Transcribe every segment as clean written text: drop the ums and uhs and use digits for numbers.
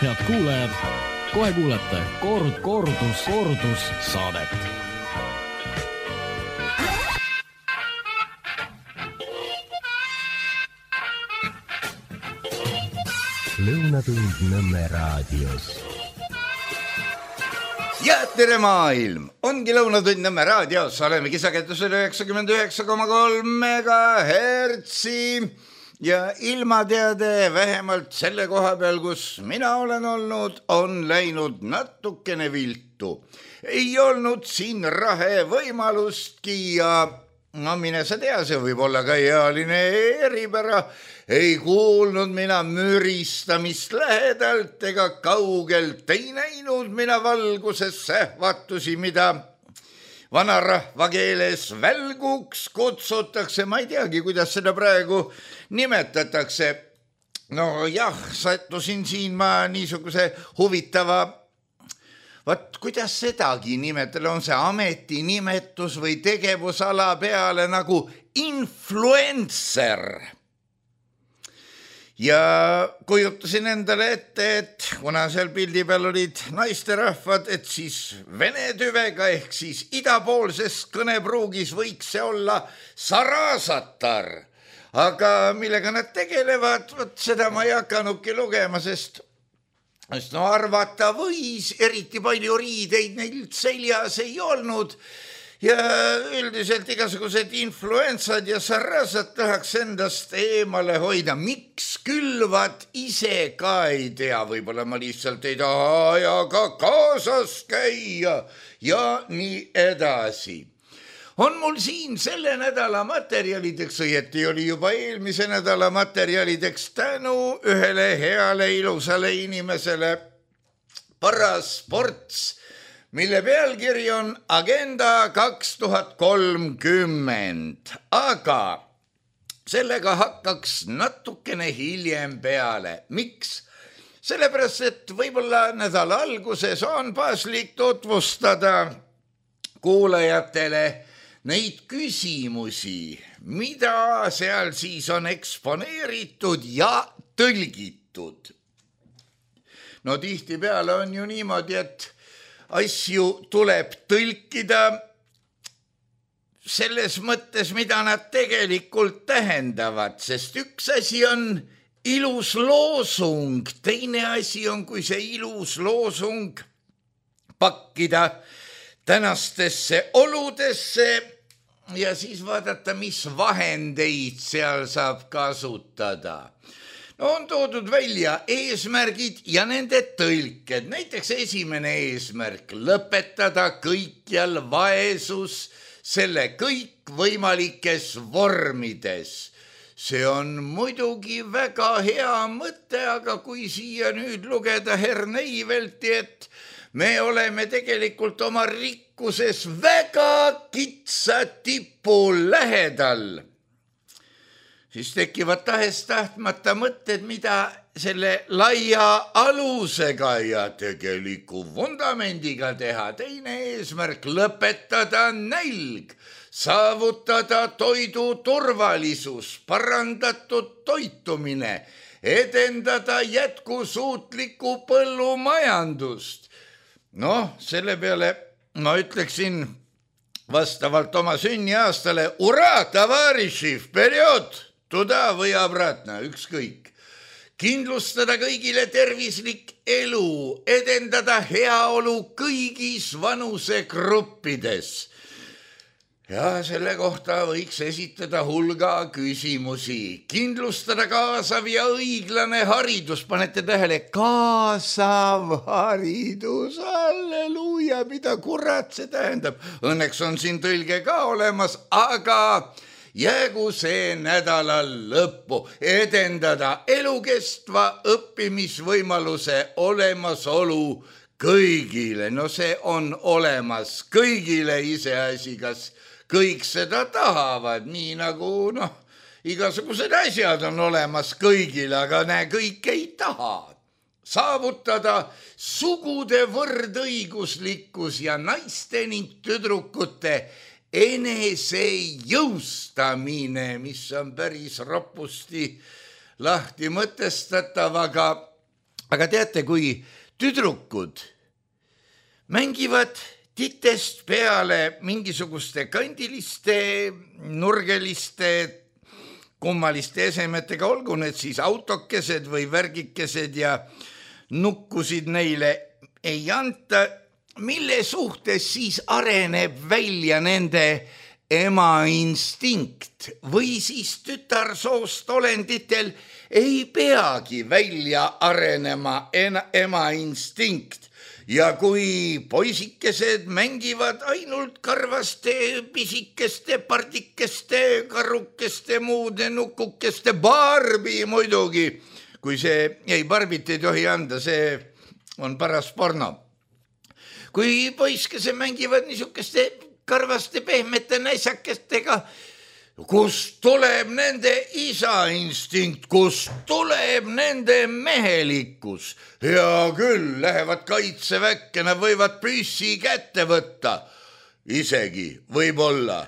Head kuulajad, kohe kuulete kordus saadet. Lõunatund Nõmme raadios. Ja tere maailm! Ongi Lõunatund Nõmme raadios. Oleme kisaketusel 99,3 megahertsi ja ilmateade vähemalt selle koha peal, kus mina olen olnud, on läinud natukene viltu. Ei olnud siin rahe võimalustki ja no mine sa tea, see võib olla ka ealine eripära. Ei kuulnud mina müristamist lähedalt ega kaugelt. Ei näinud mina valguses sähvatusi, mida vanarahva keeles välguks kutsutakse. Ma ei teagi, kuidas seda praegu nimetatakse. No jah, sattusin siin ma niisuguse huvitava, kuidas sedagi nimetada, on see ametinimetus või tegevusala peale nagu influencer. Ja kujutasin endale ette, et kuna seal pildi peal olid naisterahvad, et siis vene tüvega ehk siis idapoolses kõnepruugis võiks see olla sarasatar. Aga millega nad tegelevad, seda ma ei hakanudki lugema, sest no arvata võis, eriti palju riideid neil seljas ei olnud. Ja üldiselt igasugused influensad ja sarrasad tahaks endast eemale hoida. Miks külvad ise ka ei tea, võib-olla ma lihtsalt ei taha ajaga kaasas käia ja nii edasi. On mul siin selle nädala materjalideks, õieti oli juba eelmise nädala materjalideks tänu ühele heale ilusale inimesele Parasports, mille pealkiri on Agenda 2030, aga sellega hakkaks natukene hiljem peale. Miks? Sellepärast, et võib-olla nädala alguses on paslik tutvustada kuulajatele neid küsimusi, mida seal siis on eksponeeritud ja tõlgitud. No tihtipeale on ju niimoodi, et asju tuleb tõlkida selles mõttes, mida nad tegelikult tähendavad, sest üks asi on ilus loosung, teine asi on, kui see ilus loosung pakkida tänastesse oludesse ja siis vaadata, mis vahendeid seal saab kasutada. No on toodud välja eesmärgid ja nende tõlked. Näiteks esimene eesmärk, lõpetada kõikjal vaesus selle kõikvõimalikes vormides. See on muidugi väga hea mõte, aga kui siia nüüd lugeda Herneivelti, et me oleme tegelikult oma rikkuses väga kitsa tipu lähedal, siis tekivad tahes-tahtmata mõtted, mida selle laia alusega ja tegeliku vundamendiga teha. Teine eesmärk, lõpetada nälg, saavutada toidu turvalisus, parandatud toitumine, edendada jätkusuutlikku põllumajandust. No, selle peale ma ütleksin vastavalt oma sünniaastale ura, tavariši, vperjod, tuda või obratna, ükskõik. Kindlustada kõigile tervislik elu, edendada heaolu kõigis vanusegruppides. Ja selle kohta võiks esitada hulga küsimusi. Kindlustada kaasav ja õiglane haridus. Panete tähele, kaasav haridus, halleluuja, mida kurat see tähendab. Õnneks on siin tõlge ka olemas, aga jäägu see nädalal lõppu, edendada elukestva õppimisvõimaluse olemasolu kõigile. No see on olemas kõigile, iseasi, kas kõik seda tahavad, nii nagu igasugused asjad on olemas kõigile, aga kõik ei taha. Saavutada sugude võrdõiguslikkus ja naiste ning tüdrukute enesejõustamine, mis on päris ropusti lahti mõtestatav, aga aga teate, kui tüdrukud mängivad titest peale mingisuguste kandiliste, nurgeliste, kummaliste esemetega, olgu need siis autokesed või värgikesed ja nukkusid neile ei anta, mille suhtes siis areneb välja nende ema instinkt või siis tütarsoost olenditel ei peagi välja arenema ema instinkt. Ja kui poisikesed mängivad ainult karvaste, pisikeste, pardikeste, karukeste, muude nukukeste, Barbi muidugi, kui see, ei Barbit ei tohi anda, see on paras porno. Kui poiskesed mängivad niisugeste karvaste pehmete näisakestega, kust tuleb nende isa instinkt, kust tuleb nende mehelikkus. Hea küll, lähevad kaitseväkke, nad võivad püssi kätte võtta. Isegi võib-olla,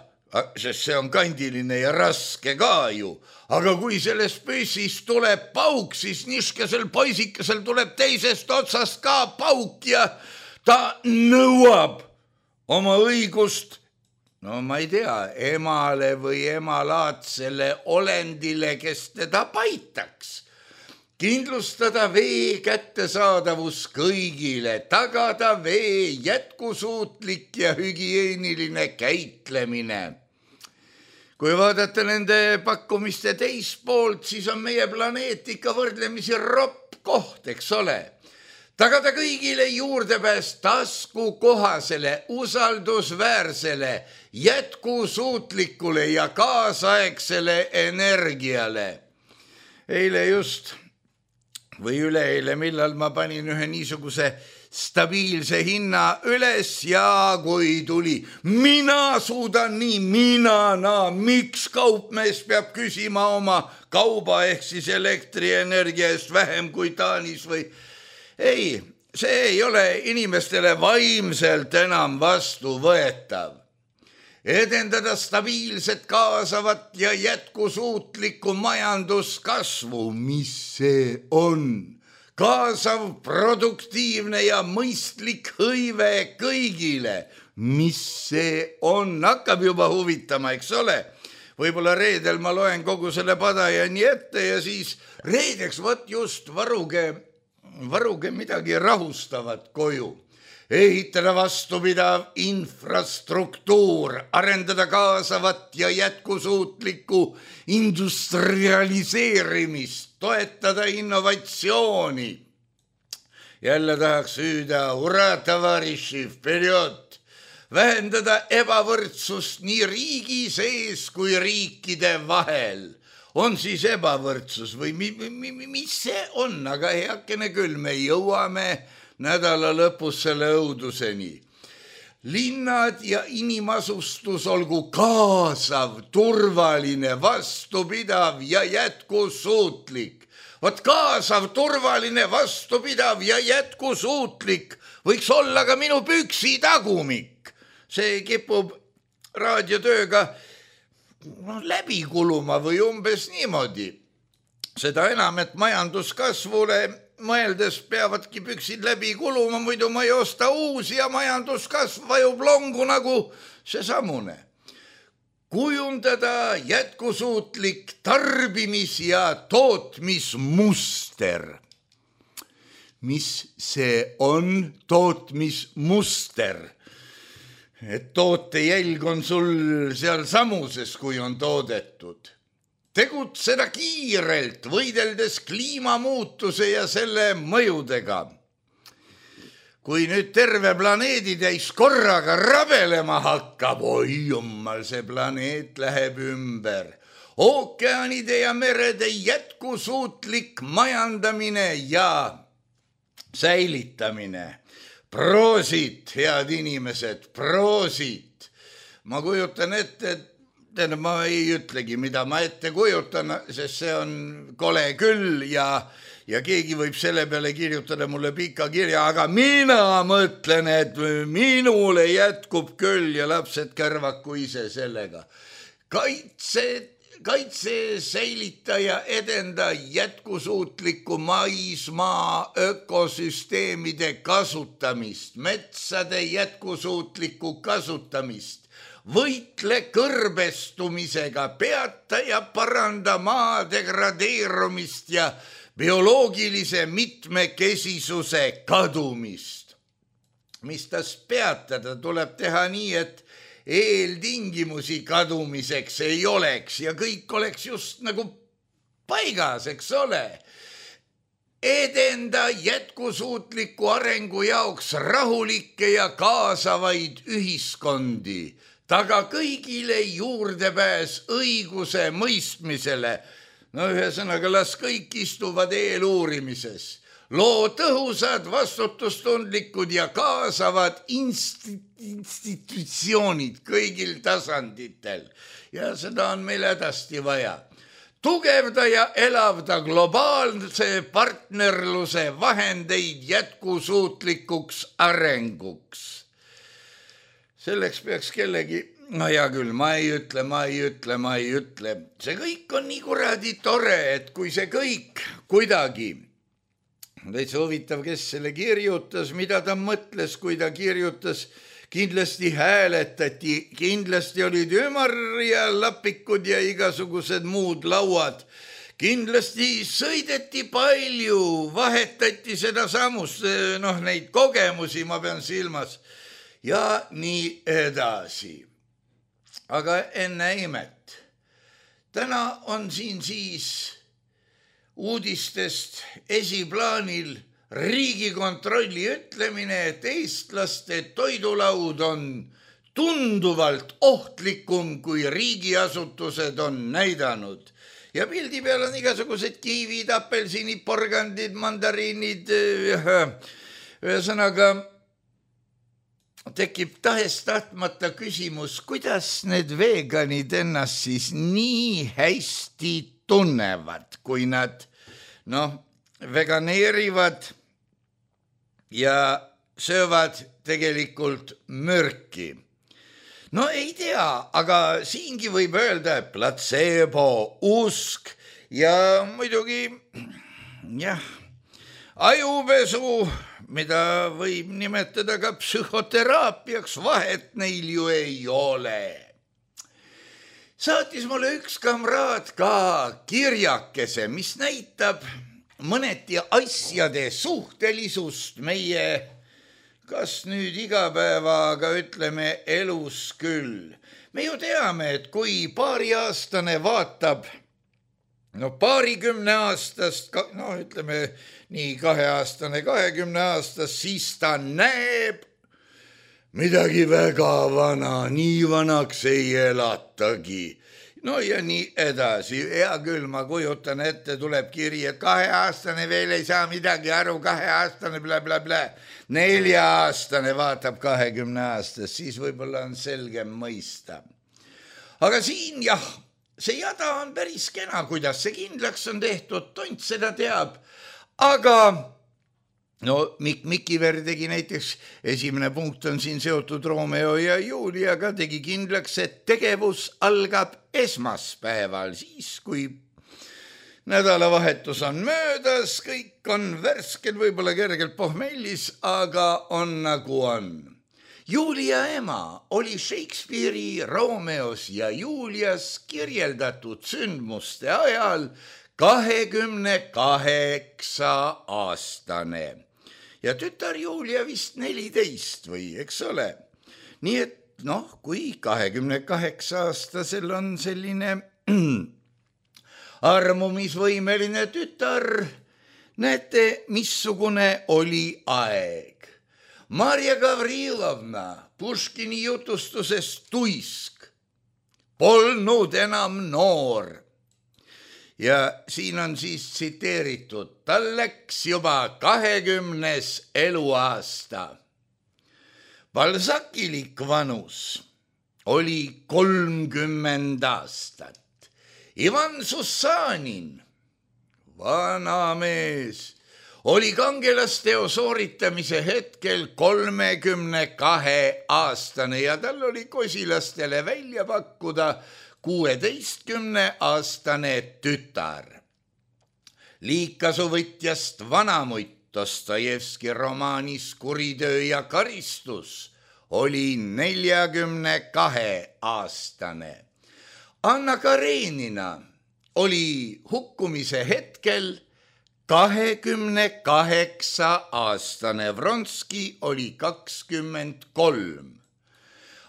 sest see on kandiline ja raske ka ju. Aga kui sellest püssist tuleb pauk, siis niskesel poisikesel tuleb teisest otsast ka pauk ja ta nõuab oma õigust, no ma ei tea, emale või emalaadsele olendile, kes teda paitaks. Kindlustada vee kättesaadavus kõigile, tagada vee jätkusuutlik ja hügieeniline käitlemine. Kui vaadata nende pakkumiste teispoolt, siis on meie planeet ikka võrdlemisi ropp koht, eks ole. Tagada kõigile juurdepääs taskukohasele, usaldusväärsele, jätkusuutlikule ja kaasaegsele energiale. Eile just või üleeile, millal ma panin ühe niisuguse stabiilse hinna üles ja kui tuli, mina suudan nii, miks kaupmees peab küsima oma kauba ehk siis elektrienergia eest vähem kui Taanis või ei, see ei ole inimestele vaimselt enam vastuvõetav. Edendada stabiilset, kaasavat ja jätkusuutlikku majanduskasvu, mis see on? Kaasav, produktiivne ja mõistlik hõive kõigile, mis see on? Hakkab juba huvitama, eks ole? Võib-olla reedel ma loen kogu selle padajani ette ja siis reedeks võt just varuge midagi rahustavat koju. Ehitada vastupidav infrastruktuur, arendada kaasavat ja jätkusuutlikku industrialiseerimist, toetada innovatsiooni. Jälle tahaks hüüda, ura, tavariši, vperjod. Vähendada ebavõrdsust nii riigi sees kui riikide vahel. On siis ebavõrdsus või mis see on, aga heakene küll, me jõuame nädala lõpus selle õuduseni. Linnad ja inimasustus olgu kaasav, turvaline, vastupidav ja jätkusuutlik. Vot kaasav, turvaline, vastupidav ja jätkusuutlik võiks olla ka minu püksi tagumik. See kipub raadiotööga läbi kuluma või umbes niimoodi. Seda enam, et majanduskasvule mõeldes peavadki püksid läbi kuluma, muidu ma ei osta uusi ja majanduskasv vajub longu nagu seesamune. Kujundada jätkusuutlik tarbimis- ja tootmismuster. Mis see on tootmismuster? Et tootejälg on sul seal samuses, kui on toodetud. Tegutseda kiirelt, võideldes kliimamuutuse ja selle mõjudega. Kui nüüd terve planeedi täis korraga rabelema hakkab, oi jummal, see planeet läheb ümber. Ookeanide ja merede jätkusuutlik majandamine ja säilitamine. Proosit, head inimesed, proosit. Ma kujutan ette, ma ei ütlegi, mida ma ette kujutan, sest see on kole küll ja keegi võib selle peale kirjutada mulle pika kirja, aga mina mõtlen, et minule jätkub küll ja lapsed kärvaku ise sellega. kaitse, säilita ja edenda jätkusuutlikku maismaa ökosüsteemide kasutamist, metsade jätkusuutlikku kasutamist, võitle kõrbestumisega, peata ja paranda maa degradeerumist ja bioloogilise mitmekesisuse kadumist. Mis tas peatada tuleb teha nii, et eeltingimusi kadumiseks ei oleks ja kõik oleks just nagu paigas, eks ole. Edenda jätkusuutliku arengu jaoks rahulikke ja kaasavaid ühiskondi, taga kõigile juurdepääs õiguse mõistmisele. No ühesõnaga, las kõik istuvad eeluurimises. Loo tõhusad, vastutustundlikud ja kaasavad institutsioonid kõigil tasanditel. Ja seda on meil hädasti vaja. Tugevda ja elavda globaalse partnerluse vahendeid jätkusuutlikuks arenguks. Selleks peaks kellegi, no hea küll, ma ei ütle. See kõik on nii kuradi tore, et kui see kõik kuidagi täitsa huvitav, kes selle kirjutas, mida ta mõtles, kui ta kirjutas, kindlasti hääletati, kindlasti olid ümar ja lapikud ja igasugused muud lauad. Kindlasti sõideti palju, vahetati seda samust, neid kogemusi ma pean silmas ja nii edasi. Aga enne imet. Täna on siin siis uudistest esiplaanil Riigikontrolli ütlemine, et eestlaste toidulaud on tunduvalt ohtlikum, kui riigiasutused on näidanud. Ja pildi peal on igasugused kiivid, apelsinid, porgandid, mandariinid. Ühesõnaga tekib tahes-tahtmata küsimus, kuidas need veganid ennast siis nii hästi tunnevad, kui nad veganeerivad ja söövad tegelikult mürki. No ei tea, aga siingi võib öelda placebo, usk ja muidugi ajupesu, mida võib nimetada ka psühhoteraapiaks, vahet neil ju ei ole. Saatis mulle üks kamraad ka kirjakese, mis näitab mõneti asjade suhtelisust meie, kas nüüd igapäeva, aga ütleme elus küll. Me ju teame, et kui paariaastane vaatab, paarikümne aastast, ütleme nii 2-aastane, 20 aastast, siis ta näeb midagi väga vana, nii vanaks ei elatagi. No ja nii edasi. Hea küll, ma kujutan ette, tuleb kiri, et 2-aastane veel ei saa midagi aru, 2-aastane bla. 4-aastane vaatab 20 aastast, siis võib-olla on selgem mõista. Aga siin see jada on päris kena, kuidas see kindlaks on tehtud, tont seda teab. Aga Mikiver tegi näiteks, esimene punkt on siin seotud Romeo ja Juliaga, tegi kindlaks, et tegevus algab esmaspäeval, siis kui nädalavahetus on möödas, kõik on värskel, võib-olla kergelt pohmellis, aga on nagu on. Julia ema oli Shakespeare'i Romeos ja Julias kirjeldatud sündmuste ajal 28-aastane. Ja tütar Julia vist 14 või, eks ole. Nii et kui 28-aastasel on selline armumisvõimeline tütar, näete, missugune oli aeg. Marja Gavrilovna Puškini jutustuses Tuisk polnud enam noor. Ja siin on siis tsiteeritud, tal läks juba 20. eluaasta. Balzakilik vanus oli 30 aastat. Ivan Sussanin, vana mees, oli kangelasteo sooritamise hetkel 32-aastane ja tal oli kosilastele välja pakkuda 16-aastane tütar. Liikasuvõtjast vanamutt Dostojevski romaanis Kuritöö ja karistus oli 42-aastane. Anna Karenina oli hukkumise hetkel 28-aastane, Vronski oli 23.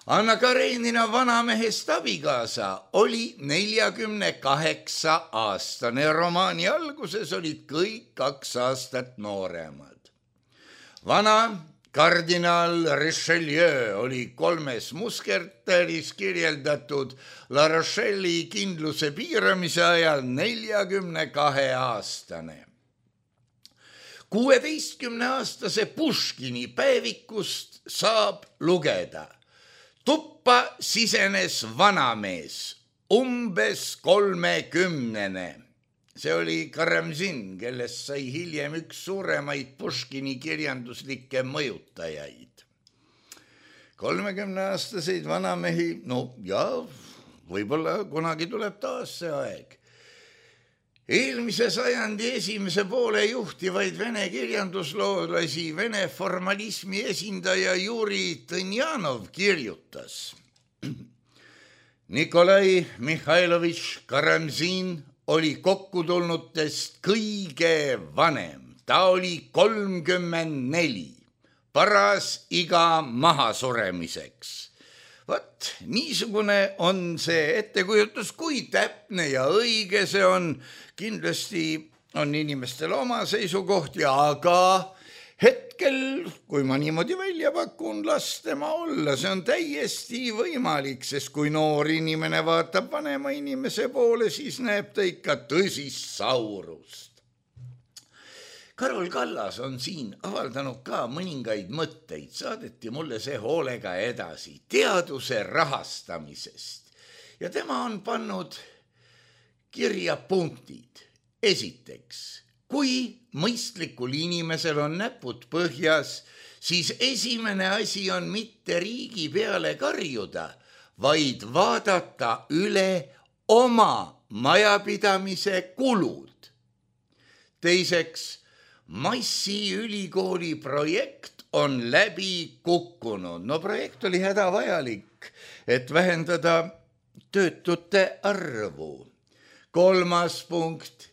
Anna Karenina vanamehest abikaasa oli 48-aastane. Romaani alguses olid kõik 2 aastat nooremad. Vana kardinaal Richelieu oli 3 musketäris kirjeldatud La Rochelle'i kindluse piiramise ajal 42-aastane. 16-aastase Puškini päevikust saab lugeda. Tuppa sisenes vanamees, umbes 30. See oli Karamzin, kellest sai hiljem üks suuremaid Puškini kirjanduslikke mõjutajaid. 30-aastaseid vanamehi, võib-olla kunagi tuleb taas see aeg. Eelmise sajandi esimese poole juhtivaid vene kirjandusloolasi vene formalismi esindaja Juri Tõnjanov kirjutas. Nikolai Mihhailovitš Karamzin oli kokkutulnutest kõige vanem. Ta oli 34, paras iga mahasuremiseks. Vat, niisugune on see ettekujutus, kui täpne ja õige see on. Kindlasti on inimestel oma seisukohti, aga hetkel, kui ma niimoodi välja pakun, las tema olla, see on täiesti võimalik, sest kui noor inimene vaatab vanema inimese poole, siis näeb ta ikka tõsist saurust. Karol Kallas on siin avaldanud ka mõningaid mõtteid, saadeti mulle see hoolega edasi teaduse rahastamisest ja tema on pannud kirja punktid. Esiteks, kui mõistlikul inimesel on näpud põhjas, siis esimene asi on mitte riigi peale karjuda, vaid vaadata üle oma majapidamise kulud. Teiseks, Massi ülikooli projekt on läbi kukkunud. Projekt oli hädavajalik, et vähendada töötute arvu. 3. punkt.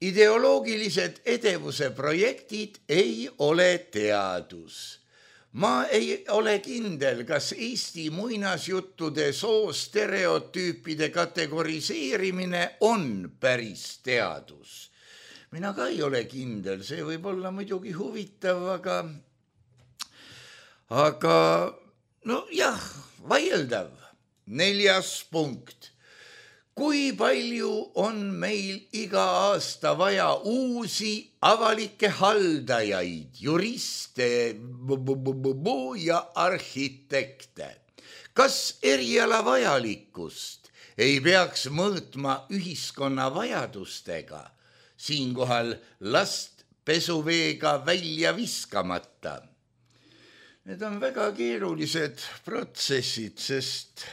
Ideoloogilised edevuse projektid ei ole teadus. Ma ei ole kindel, kas Eesti muinasjuttude soostereotüüpide kategoriseerimine on päris teadus. Mina ka ei ole kindel, see võib olla muidugi huvitav, aga vaieldav. 4. punkt. Kui palju on meil iga aasta vaja uusi avalikke haldajaid, juriste ja arhitekte? Kas eriala vajalikkust ei peaks mõõtma ühiskonna vajadustega? Siinkohal last pesuveega välja viskamata. Need on väga keerulised protsessid, sest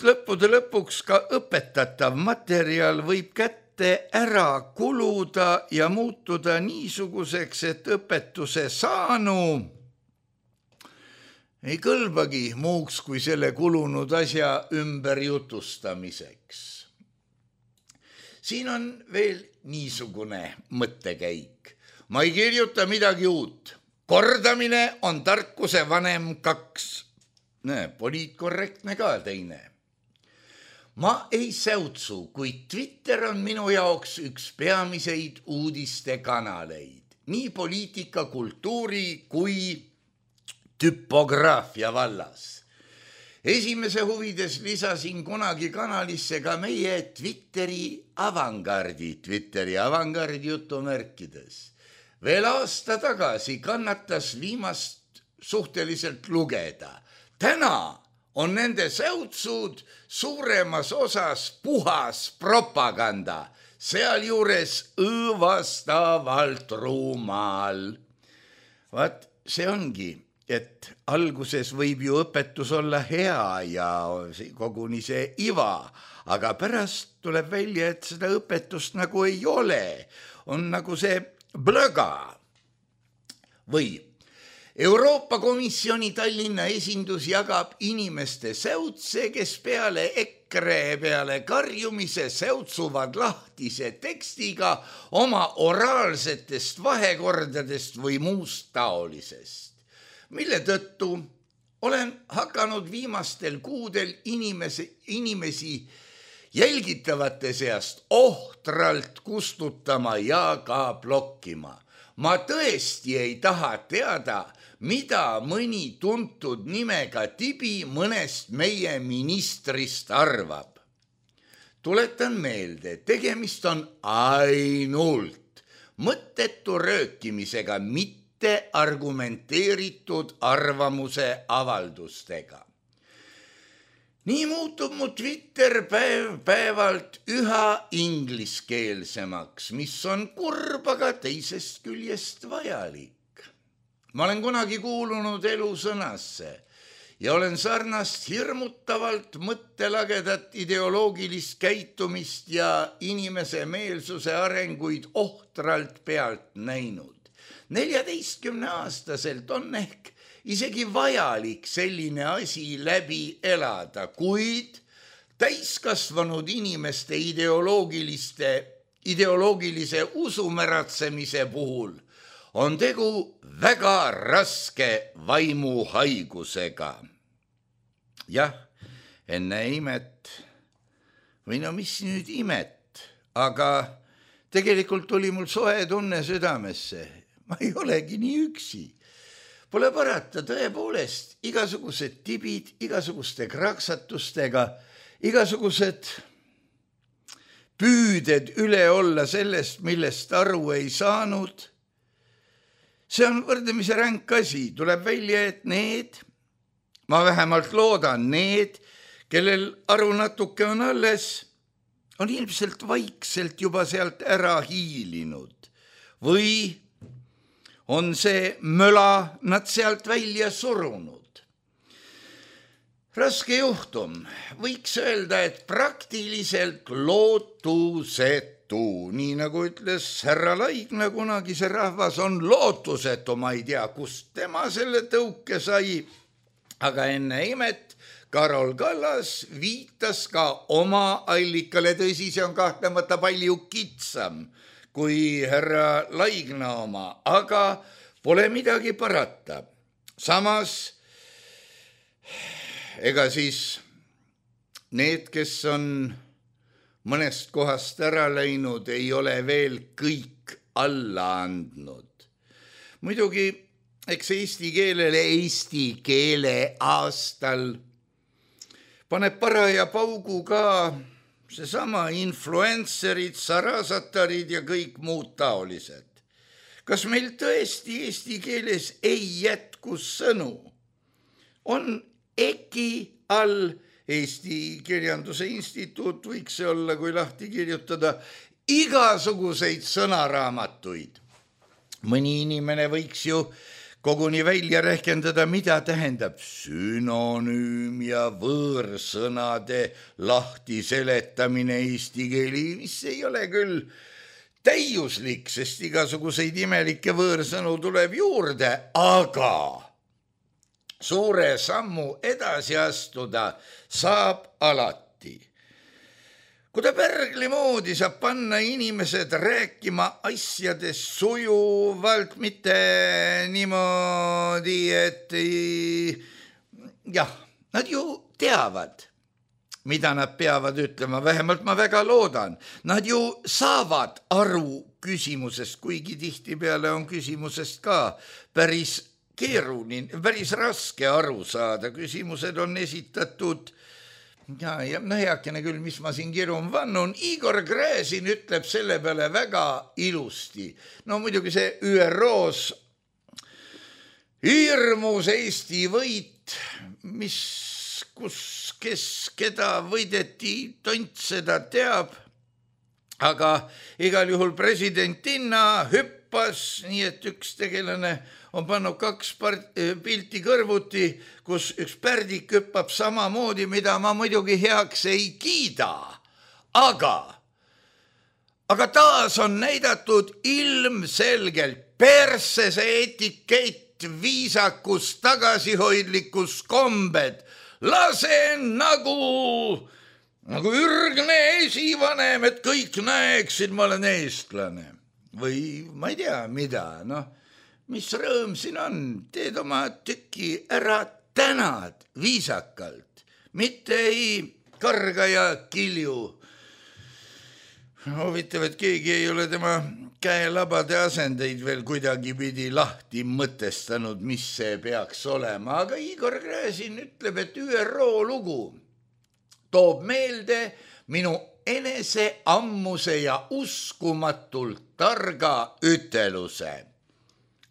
lõppude lõpuks ka õpetatav materjal võib kätte ära kuluda ja muutuda niisuguseks, et õpetuse saanu ei kõlbagi muuks kui selle kulunud asja ümberjutustamiseks. Siin on veel niisugune mõttekäik. Ma ei kirjuta midagi uut. Kordamine on tarkuse vanem 2. Poliitkorrektne ka teine. Ma ei säutsu, kuid Twitter on minu jaoks üks peamiseid uudistekanaleid. Nii poliitika, kultuuri kui tüpograafia vallas. Esimese huvides lisasin kunagi kanalisse ka meie Twitteri avangardi jutumärkides. Veel aasta tagasi kannatas viimast suhteliselt lugeda. Täna on nende säutsud suuremas osas puhas propaganda, sealjuures õõvastavalt rumal. Vaat see ongi et alguses võib ju õpetus olla hea ja koguni see iva, aga pärast tuleb välja, et seda õpetust nagu ei ole. On nagu see blöga. Või Euroopa Komisjoni Tallinna esindus jagab inimeste säutse, kes peale EKRE peale karjumise säutsuvad lahtise tekstiga oma oraalsetest vahekordadest või muust taolisest, mille tõttu olen hakanud viimastel kuudel inimesi jälgitavate seast ohtralt kustutama ja ka blokkima. Ma tõesti ei taha teada, mida mõni tuntud nimega tibi mõnest meie ministrist arvab. Tuletan meelde, tegemist on ainult mõttetu röökimisega, mitte argumenteeritud arvamuse avaldustega. Nii muutub mu Twitter päevalt üha ingliskeelsemaks, mis on kurb, aga teisest küljest vajalik. Ma olen kunagi kuulunud elusõnasse ja olen sarnast hirmutavalt mõttelagedat ideoloogilist käitumist ja inimese meelsuse arenguid ohtralt pealt näinud. 14-aastaselt on ehk isegi vajalik selline asi läbi elada, kuid täiskasvanud inimeste ideoloogilise usumäratsemise puhul on tegu väga raske vaimuhaigusega. Jah, enne imet, või no mis nüüd imet, aga tegelikult oli mul soe tunne südamesse. Ma ei olegi nii üksi. Pole parata, tõepoolest, igasugused tibid, igasuguste kraksatustega, igasugused püüded üle olla sellest, millest aru ei saanud. See on võrdlemisi ränk asi. Tuleb välja, et need, ma vähemalt loodan, need, kellel aru natuke on alles, on ilmselt vaikselt juba sealt ära hiilinud või on see möla nad sealt välja surunud. Raske juhtum. Võiks öelda, et praktiliselt lootusetu. Nii nagu ütles härra Laigna, kunagi see rahvas on lootusetu. Ma ei tea, kust tema selle tõuke sai. Aga enne imet Karol Kallas viitas ka oma allikale. Tõsi, see on kahtlemata palju kitsam kui härra Laigna oma, aga pole midagi parata. Samas, ega siis need, kes on mõnest kohast ära läinud, ei ole veel kõik alla andnud. Muidugi, eks eesti keele aastal paneb paraja paugu ka seesama influencerid, sarasatarid ja kõik muud taolised. Kas meil tõesti eesti keeles ei jätku sõnu? On EKI all, Eesti Kirjanduse Instituut võiks see olla, kui lahti kirjutada, igasuguseid sõnaraamatuid. Mõni inimene võiks ju koguni välja rehkendada, mida tähendab sünonüüm ja võõrsõnade lahti seletamine eesti keeli, mis ei ole küll täiuslik, sest igasuguseid imelikke võõrsõnu tuleb juurde, aga suure sammu edasi astuda saab alati. Kui ta pärgli moodi saab panna inimesed rääkima asjadest sujuvalt, mitte niimoodi, et jah, nad ju teavad, mida nad peavad ütlema, vähemalt ma väga loodan. Nad ju saavad aru küsimusest, kuigi tihtipeale on küsimusest ka päris keeruline, päris raske aru saada. Küsimused on esitatud ja heakene küll, mis ma siin kirjun vannun. Igor Gräzin ütleb selle peale väga ilusti. No muidugi see ÜROs hirmus Eesti võit, kes keda võideti, tont seda teab, aga igal juhul presidentinna hüppas, nii et üks tegelane on pannud 2 pilti kõrvuti, kus üks pärdik hüppab samamoodi, mida ma muidugi heaks ei kiida. Aga taas on näidatud ilmselgelt persese etikett, viisakus, tagasihoidlikkus, kombed. Lasen nagu ürgne esivanem, et kõik näeksid, ma olen eestlane. Või ma ei tea, mida, mis rõõm siin on, teed oma tüki ära, tänad viisakalt, mitte ei karga ja kilju. Huvitav, et keegi ei ole tema käelabade asendeid veel kuidagi pidi lahti mõtestanud, mis see peaks olema, aga Igor Gräzin ütleb, et ÜRO lugu toob meelde minu enese ammuse ja uskumatult targa üteluse.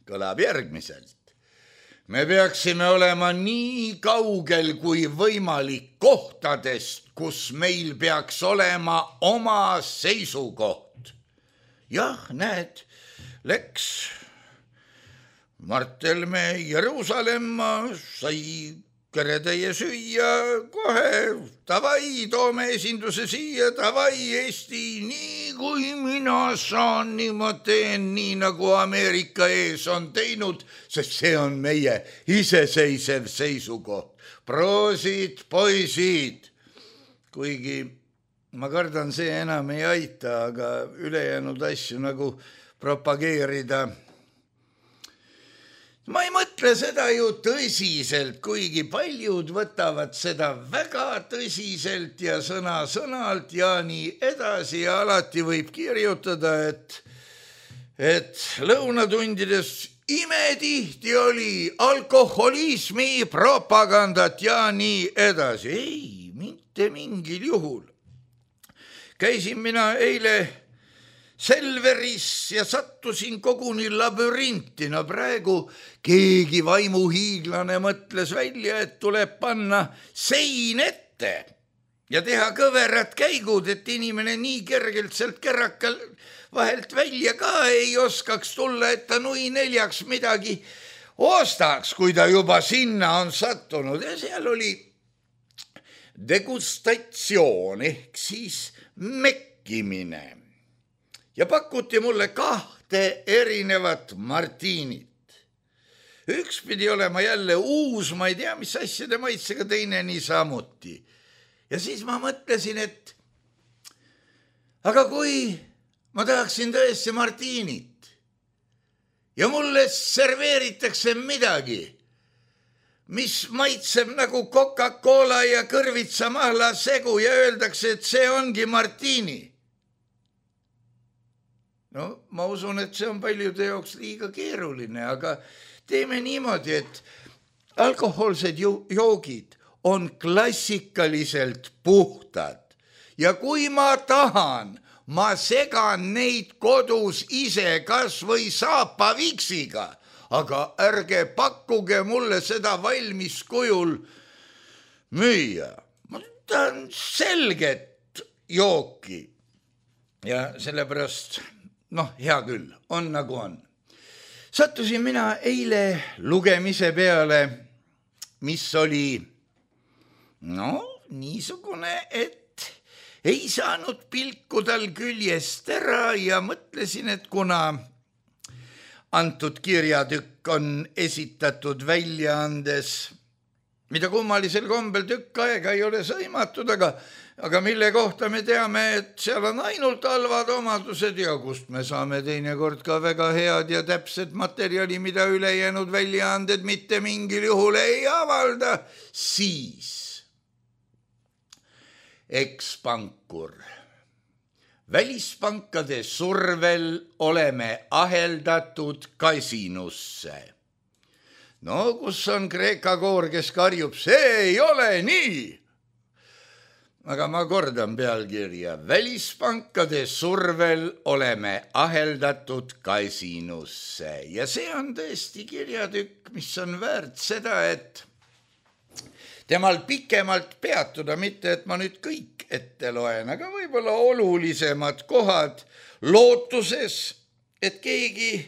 Kõlab järgmiselt. Me peaksime olema nii kaugel kui võimalik kohtadest, kus meil peaks olema oma seisukoht. Jah, näed, läks Mart Helme Jeruusalemma, sai keretäie süüa kohe, tavai, toome esinduse siia, tavai, Eesti, nii kui mina saan, nii ma teen, nii nagu Ameerika ees on teinud, sest see on meie iseseisev seisukoht. Proosid, poisid, kuigi ma kardan, see enam ei aita, aga ülejäänud asju nagu propageerida. Ma ei mõtle seda ju tõsiselt, kuigi paljud võtavad seda väga tõsiselt ja sõna-sõnalt ja nii edasi ja alati võib kirjutada, et lõunatundides imetihti oli alkoholismi propagandat ja nii edasi. Ei, mitte mingil juhul. Käisin mina eile Selveris ja sattusin koguni labürinti. Praegu keegi vaimuhiiglane mõtles välja, et tuleb panna sein ette ja teha kõverad käigud, et inimene nii kergelt sealt kerrakal vahelt välja ka ei oskaks tulla, et ta nui 4 midagi ostaks, kui ta juba sinna on sattunud. Ja seal oli degustatsioon ehk siis mekkimine. Ja pakuti mulle 2 erinevat martiinit. Üks pidi olema jälle uus, ma ei tea, mis asjade maitsega, teine nii samuti. Ja siis ma mõtlesin, et aga kui ma tahaksin tõesti martiinit ja mulle serveeritakse midagi, mis maitseb nagu Coca-Cola ja kõrvitsamahla segu ja öeldakse, et see ongi martiini. No ma usun, et see on paljude jaoks liiga keeruline, aga teeme niimoodi, et alkohoolsed joogid on klassikaliselt puhtad ja kui ma tahan, ma segan neid kodus ise kas või saapaviksiga, aga ärge pakkuge mulle seda valmis kujul müüa. Ma tahan selget jooki ja sellepärast hea küll, on nagu on. Sattusin mina eile lugemise peale, mis oli niisugune, et ei saanud pilku tal küljest ära ja mõtlesin, et kuna antud kirjatükk on esitatud väljaandes, mida kummalisel kombel tükk aega ei ole sõimatud, aga mille kohta me teame, et seal on ainult halvad omadused ja kust me saame teinekord ka väga head ja täpset materjali, mida ülejäänud väljaanded mitte mingil juhul ei avalda, siis ekspankur. Välispankade survel oleme aheldatud kasinusse. Kus on Kreeka koor, kes karjub, see ei ole nii. Aga ma kordan pealkirja. Välispankade survel oleme aheldatud kasinusse. Ja see on tõesti kirjatükk, mis on väärt seda, et temal pikemalt peatuda, mitte et ma nüüd kõik ette loen, aga võib-olla olulisemad kohad lootuses, et keegi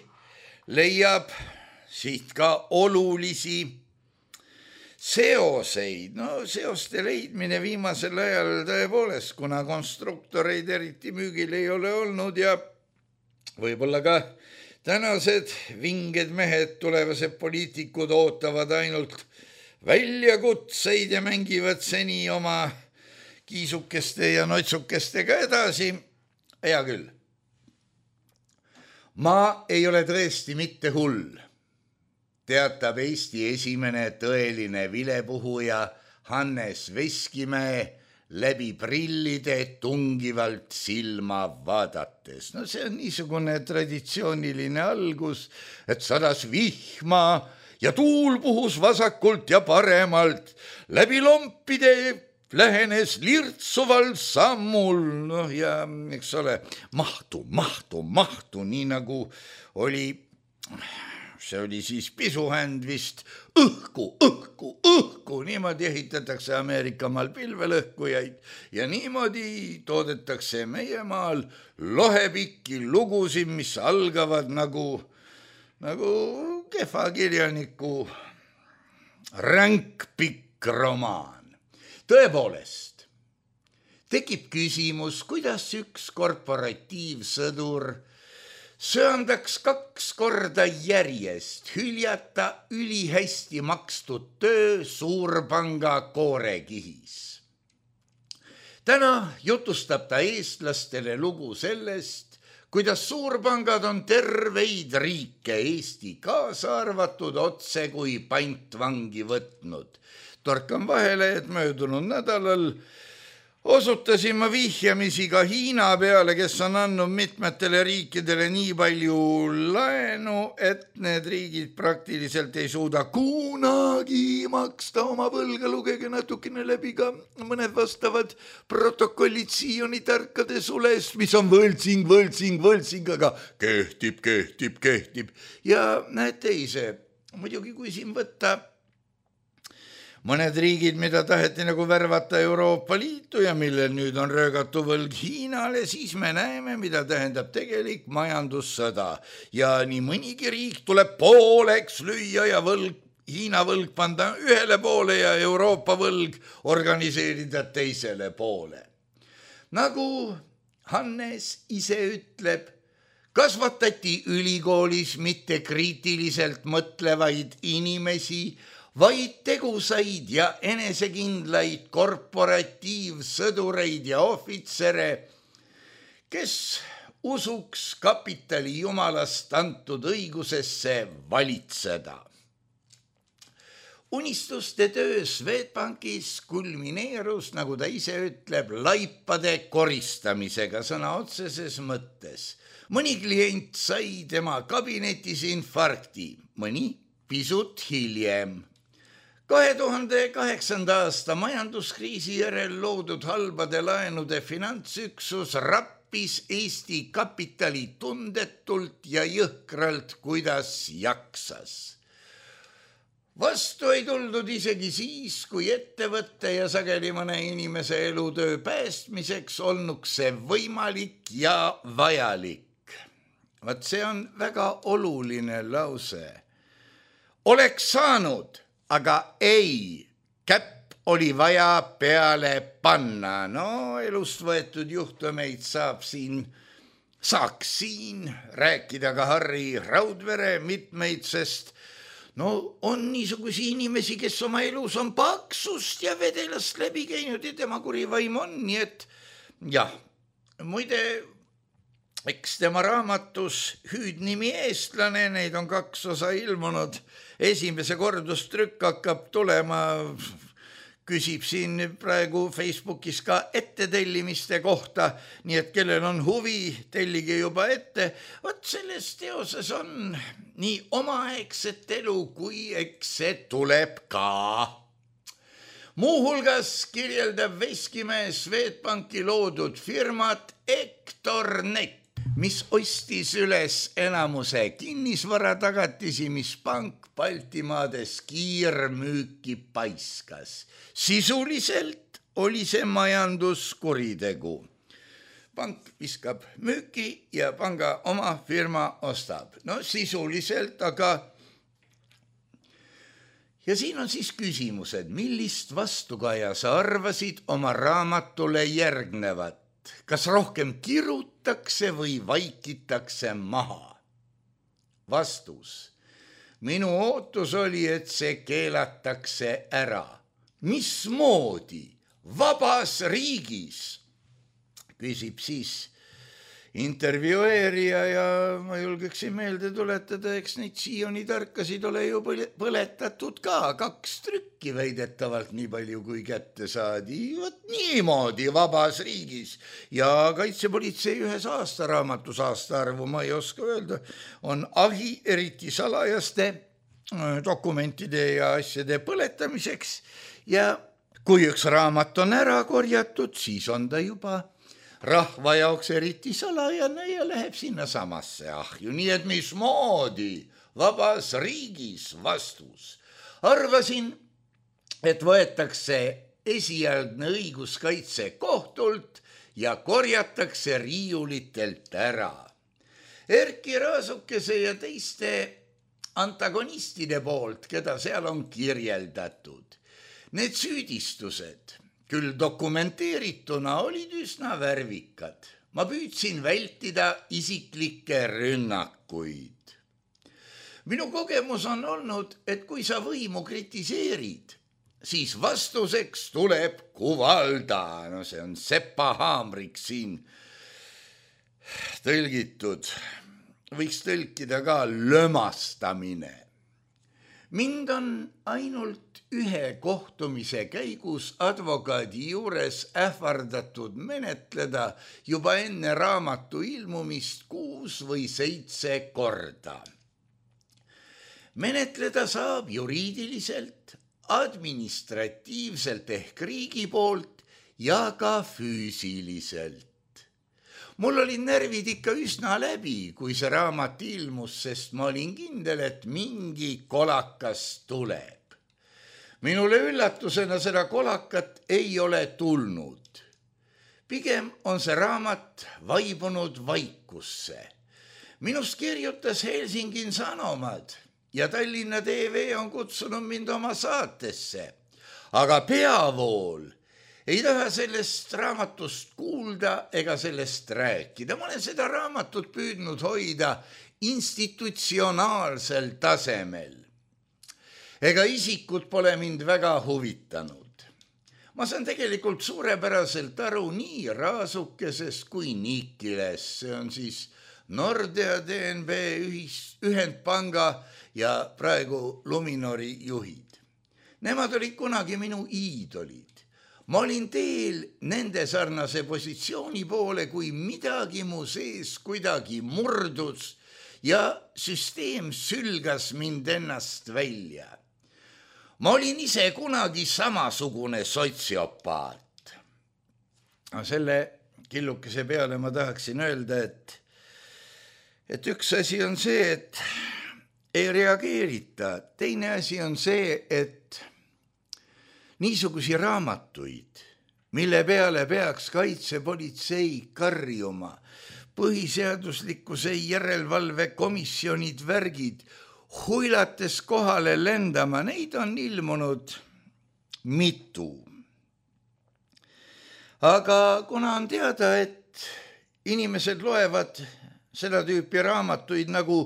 leiab siit ka olulisi seoseid. No seoste leidmine viimasel ajal tõepoolest, kuna konstruktoreid eriti müügil ei ole olnud ja võib-olla ka tänased vinged mehed, tulevased poliitikud ootavad ainult väljakutseid ja mängivad seni oma kiisukeste ja notsukestega edasi. Hea küll. Ma ei ole tõesti mitte hull, teatab Eesti esimene tõeline vilepuhuja Hannes Veskimäe läbi prillide tungivalt silma vaadates. No see on niisugune traditsiooniline algus, et sadas vihma ja tuul puhus vasakult ja paremalt, läbi lompide lähenes lirtsuval sammul, noh ja eks ole, mahtu, nii nagu oli, see oli siis pisuhänd vist, õhku, niimoodi ehitatakse Ameerika maal pilvelõhkujaid ja niimoodi toodetakse meie maal lohepikki lugusid, mis algavad nagu kehva kirjaniku ränkpikk romaan. Tõepoolest, tekib küsimus, kuidas üks korporatiivsõdur söandaks 2 korda järjest hüljata ülihästi makstud töö suurpanga koorekihis. Täna jutustab ta eestlastele lugu sellest, kuidas suurpangad on terveid riike, Eesti kaasa arvatud, otse kui pantvangi võtnud. Torkan vahele, et möödunud nädalal osutasin ma vihjamisi ka Hiina peale, kes on andnud mitmetele riikidele nii palju laenu, et need riigid praktiliselt ei suuda kunagi maksta oma võlga. Lugege natukene läbi ka mõned vastavad protokollid Sioni tarkade sulest, mis on võltsing, aga kehtib. Ja näete ise, muidugi kui siin võtta mõned riigid, mida taheti nagu värvata Euroopa Liitu ja millel nüüd on röögatu võlg Hiinale, siis me näeme, mida tähendab tegelik majandussõda. Ja nii mõnigi riik tuleb pooleks lüüa ja Hiina võlg panda ühele poole ja Euroopa võlg organiseerida teisele poole. Nagu Hannes ise ütleb, kasvatati ülikoolis mitte kriitiliselt mõtlevaid inimesi, vaid tegusaid ja enesekindlaid korporatiivsõdureid ja ohvitsere, kes usuks kapitali jumalast antud õigusesse valitseda. Unistuste töö Swedbankis kulmineerus, nagu ta ise ütleb, laipade koristamisega sõna otseses mõttes. Mõni klient sai tema kabinetis infarkti, mõni pisut hiljem. 2008. aasta majanduskriisi järel loodud halbade laenude finantsüksus rappis Eesti kapitali tundetult ja jõhkralt, kuidas jaksas. Vastu ei tuldud isegi siis, kui ettevõtte ja sageli mõne inimese elutöö päästmiseks olnuks see võimalik ja vajalik. Vaat see on väga oluline lause. Oleks saanud, aga ei, käpp oli vaja peale panna. No elust võetud juhtumeid saaks siin rääkida ka Harri Raudvere mitmeid, sest on niisugusi inimesi, kes oma elus on paksust ja vedelast läbi käinud ja tema kurivaim on, nii et jah, muide, eks tema raamatus Hüüdnimi eestlane, neid on 2 osa ilmunud, esimese kordustrükk hakkab tulema, küsib siin praegu Facebookis ka ettetellimiste kohta, nii et kellel on huvi, tellige juba ette. Vot selles teoses on nii omaaegset elu, kui eks see tuleb ka. Muuhulgas kirjeldab Veskimäe Swedbanki loodud firmat Ektornet, mis ostis üles enamuse kinnisvaratagatisi, mis pank Baltimaades kiirmüüki paiskas. Sisuliselt oli see majanduskuritegu. pank viskab müüki ja panga oma firma ostab. No sisuliselt, aga ja siin on siis küsimused, millist vastukaja sa arvasid oma raamatule järgnevat? Kas rohkem kirutakse või vaikitakse maha? Vastus. Minu ootus oli, et see keelatakse ära. Mismoodi? Vabas riigis? Küsib siis intervjueerija ja ma julgeksin meelde tuletada, eks neid Sioni tarkasid ole ju põletatud ka 2 trükki väidetavalt nii palju kui kätte saadi. Vot niimoodi vabas riigis ja kaitsepolitsei ühes aastaraamatus, aastaarvu ma ei oska öelda, on ahi eriti salajaste dokumentide ja asjade põletamiseks ja kui üks raamat on ära korjatud, siis on ta juba rahva jaoks eriti salajane ja läheb sinna samasse ahju. Nii et mismoodi vabas riigis? Vastus. Arvasin, et võetakse esialgne õiguskaitse kohtult ja korjatakse riiulitelt ära. Erki Raasukese ja teiste antagonistide poolt, keda seal on kirjeldatud. Need süüdistused küll dokumenteerituna olid üsna värvikad. Ma püüdsin vältida isiklikke rünnakuid. Minu kogemus on olnud, et kui sa võimu kritiseerid, siis vastuseks tuleb kuvalda. No see on Sepa Haamrik siin tõlgitud. Võiks tõlkida ka lömastamine. Mind on ainult ühe kohtumise käigus advokaadi juures ähvardatud menetleda juba enne raamatu ilmumist 6 või 7 korda. Menetleda saab juriidiliselt, administratiivselt ehk riigi poolt ja ka füüsiliselt. Mul olid närvid ikka üsna läbi, kui see raamat ilmus, sest ma olin kindel, et mingi kolakas tuleb. Minule üllatusena seda kolakat ei ole tulnud. Pigem on see raamat vaibunud vaikusse. Minust kirjutas Helsingin Sanomad ja Tallinna TV on kutsunud mind oma saatesse. Aga peavool ei taha sellest raamatust kuulda ega sellest rääkida. Ma olen seda raamatut püüdnud hoida institutsionaalsel tasemel. Ega isikud pole mind väga huvitanud. Ma saan tegelikult suurepäraselt aru nii Raasukesest kui Nikilest. See on siis Nordea, DNB, Ühendpanga ja praegu Luminori juhid. Nemad olid kunagi minu iidolid. Ma olin teel nende sarnase positsiooni poole, kui midagi mu sees kuidagi murdus ja süsteem sülgas mind ennast välja. Ma olin ise kunagi samasugune sotsiopaat. Selle killukese peale ma tahaksin öelda, et üks asi on see, et ei reageerita. Teine asi on see, et niisugusi raamatuid, mille peale peaks kaitsepolitsei karjuma, põhiseaduslikkuse järelevalve komisjonid värgid, huilates kohale lendama, neid on ilmunud mitu. Aga kuna on teada, et inimesed loevad seda tüüpi raamatuid nagu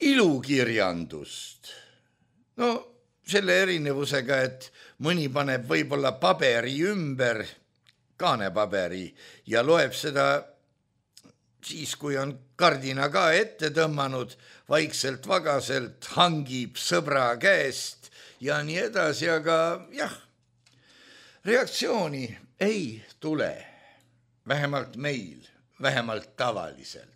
ilukirjandust, no selle erinevusega, et mõni paneb võib-olla paberi ümber, kaanepaberi, ja loeb seda siis, kui on kardina ka ette tõmmanud, vaikselt vagaselt hangib sõbra käest ja nii edasi, aga jah, reaktsiooni ei tule, vähemalt meil, vähemalt tavaliselt.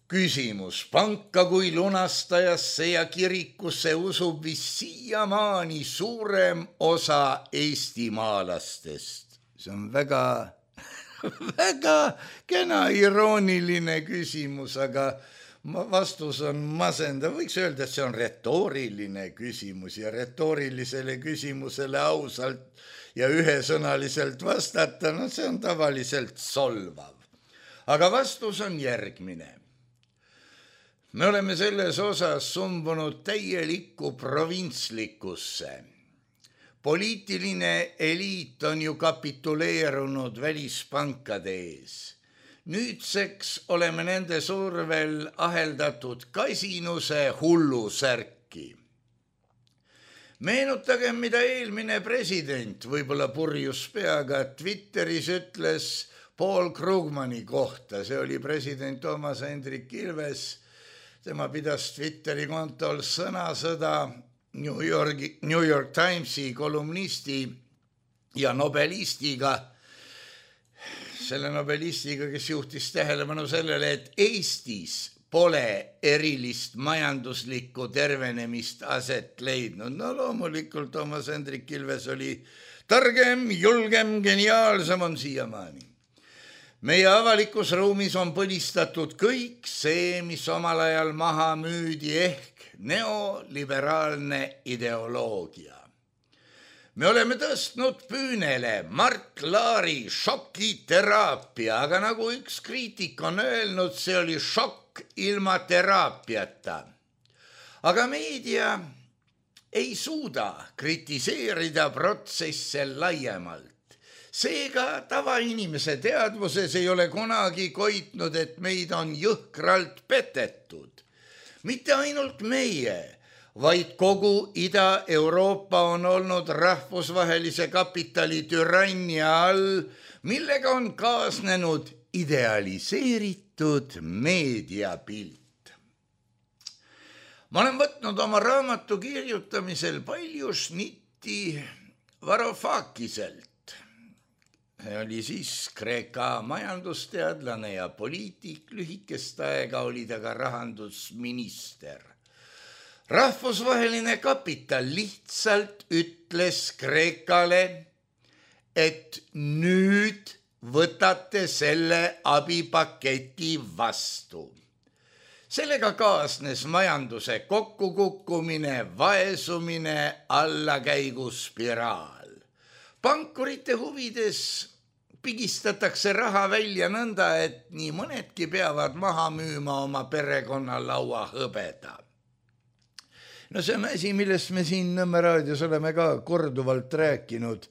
Küsimus. Panka kui lunastajasse ja kirikusse usub vist siiamaani suurem osa eestimaalastest. See on väga kena irooniline küsimus, aga vastus on masendav. Võiks öelda, et see on retooriline küsimus ja retoorilisele küsimusele ausalt ja ühesõnaliselt vastata, no see on tavaliselt solvav. Aga vastus on järgmine. Me oleme selles osas sumbunud täielikku provintslikkusse. Poliitiline eliit on ju kapituleerunud välispankade ees. Nüüdseks oleme nende survel aheldatud kasinuse hullusärki. Meenutagem, mida eelmine president, võib-olla purjus peaga, Twitteris ütles Paul Krugmani kohta. See oli president Toomas Hendrik Ilves. Tema pidas Twitteri kontol sõnasõda New York Timesi kolumnisti ja nobelistiga, selle nobelistiga, kes juhtis tähelepanu sellele, et Eestis pole erilist majanduslikku tervenemist aset leidnud. No loomulikult Toomas Hendrik Ilves oli targem, julgem, geniaalsem on siiamaani. Meie avalikus ruumis on põlistatud kõik see, mis omal ajal maha müüdi ehk neoliberaalne ideoloogia. Me oleme tõstnud püünele Mart Laari šokiteraapia, aga nagu üks kriitik on öelnud, see oli šokk ilma teraapiata. Aga meedia ei suuda kritiseerida protsesse laiemalt. Seega tavainimese teadvuses ei ole kunagi koitnud, et meid on jõhkralt petetud. Mitte ainult meie, vaid kogu Ida-Euroopa on olnud rahvusvahelise kapitali türannia all, millega on kaasnenud idealiseeritud meediapilt. Ma olen võtnud oma raamatu kirjutamisel palju šnitti Varoufakiselt. See oli siis Kreeka majandusteadlane ja poliitik, lühikest aega oli ta ka rahandusminister. Rahvusvaheline kapital lihtsalt ütles Kreekale, et nüüd võtate selle abipaketi vastu. Sellega kaasnes majanduse kokkukukkumine, vaesumine, allakäiguspiraal. Pankurite huvides pigistatakse raha välja nõnda, et nii mõnedki peavad maha müüma oma perekonna laua hõbeda. No see on asi, millest me siin Nõmme raadios oleme ka korduvalt rääkinud,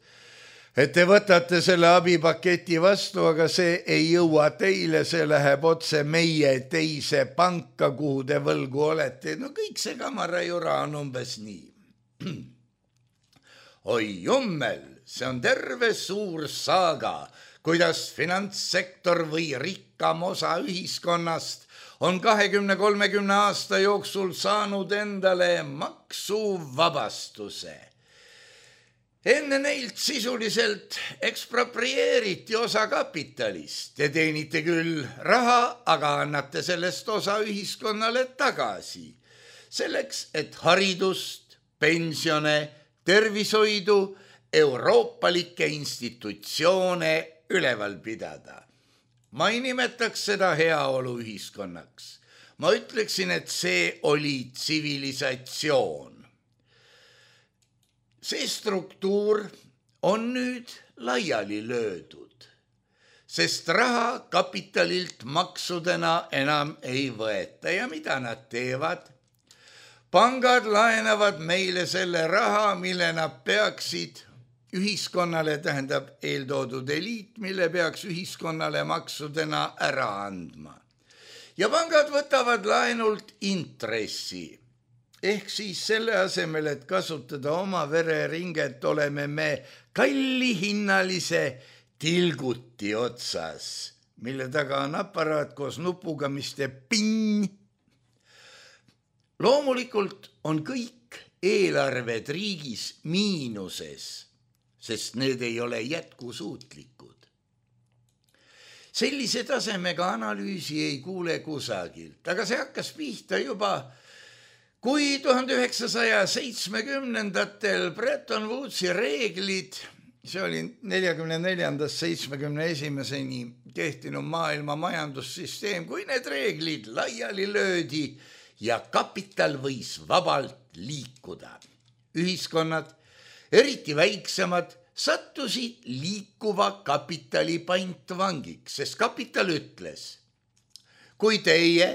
et te võtate selle abipaketi vastu, aga see ei jõua teile, see läheb otse meie teise panka, kuhu te võlgu olete. No kõik see kamarajura on umbes nii. Oi jummel, see on terve suur saaga, kuidas finantssektor või rikkam osa ühiskonnast on 20-30 aasta jooksul saanud endale maksuvabastuse. Enne neilt sisuliselt eksproprieeriti osa kapitalist. Te teenite küll raha, aga annate sellest osa ühiskonnale tagasi. Selleks, et haridust, pensione, tervishoidu, euroopalikke institutsioone üleval pidada. Ma ei nimetaks seda heaolu ühiskonnaks. Ma ütleksin, et see oli tsivilisatsioon. See struktuur on nüüd laiali löödud, sest raha kapitalilt maksudena enam ei võeta. Ja mida nad teevad? Pangad laenavad meile selle raha, mille nad peaksid ühiskonnale, tähendab eeltoodud eliit, mille peaks ühiskonnale maksudena ära andma. Ja pangad võtavad laenult intressi. Ehk siis selle asemel, et kasutada oma vereringet, oleme me kallihinnalise tilguti otsas, mille taga on aparaat koos nupuga, mis teeb ping. Loomulikult on kõik eelarved riigis miinuses, sest need ei ole jätkusuutlikud. Sellise tasemega analüüsi ei kuule kusagilt, aga see hakkas pihta juba, kui 1970-ndatel Bretton Woodsi reeglid, see oli 44-71-ni kehtinud maailma majandussüsteem, kui need reeglid laiali löödi ja kapital võis vabalt liikuda. Ühiskonnad, eriti väiksemad, sattusid liikuva kapitali pantvangiks, sest kapital ütles, kui teie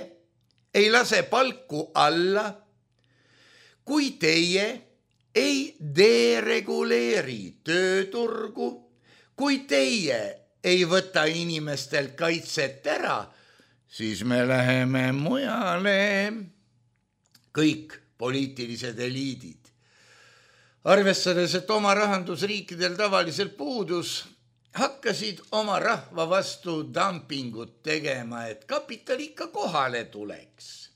ei lase palku alla, kui teie ei dereguleeri tööturgu, kui teie ei võta inimestel kaitset ära, siis me läheme mujale. Kõik poliitilised eliidid. Arvestades, et oma rahandusriikidel tavaliselt puudus, hakkasid oma rahva vastu dumpingut tegema, et kapital ikka kohale tuleks.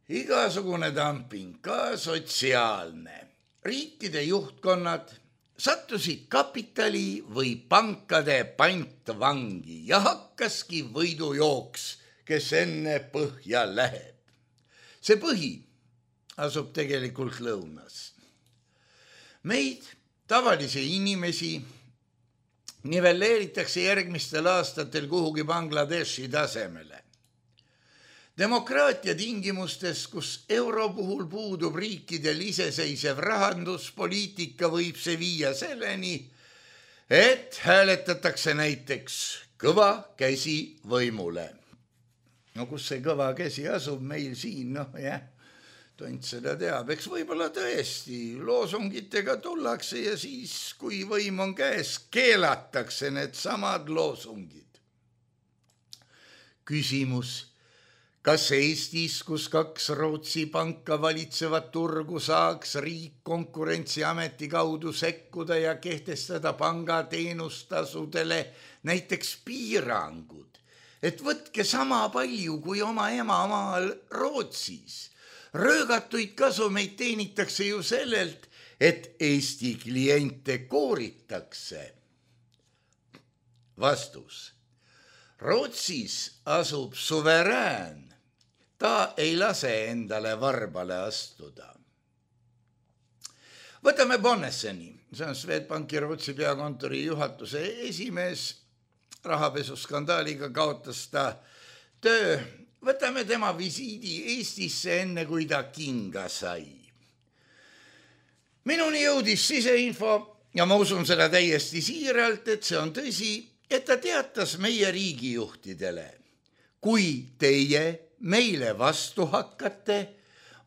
Igasugune dumping, ka sotsiaalne. Riikide juhtkonnad sattusid kapitali või pankade pantvangi ja hakkaski võidujooks, kes enne põhja läheb. See põhi asub tegelikult lõunas. Meid, tavalisi inimesi, nivelleeritakse järgmistel aastatel kuhugi Bangladeshi tasemele. Demokraatia tingimustes, kus euro puhul puudub riikidel iseseisev rahanduspoliitika, võib see viia selleni, et hääletatakse näiteks kõva käsi võimule. No kus see kõva käsi asub meil siin, tont seda teab, eks võib-olla tõesti loosungitega tullakse ja siis, kui võim on käes, keelatakse need samad loosungid. Küsimus, kas Eestis, kus 2 Rootsi panka valitsevat turgu, saaks riik Konkurentsiameti kaudu sekkuda ja kehtestada pangateenustasudele näiteks piirangud, et võtke sama palju kui oma emamaal Rootsis. Röögatuid kasumeid teenitakse ju sellelt, et Eesti kliente kooritakse. Vastus. Rootsis asub suverään. Ta ei lase endale varbale astuda. Võtame Bonnesseni, see on Swedbanki Rootsi peakontori juhatuse esimees. Rahapesuskandaaliga kaotas ta töö. Võtame tema visiidi Eestisse enne, kui ta kinga sai. Minuni jõudis siseinfo ja ma usun seda täiesti siiralt, et see on tõsi, et ta teatas meie riigijuhtidele. Kui teie meile vastu hakkate,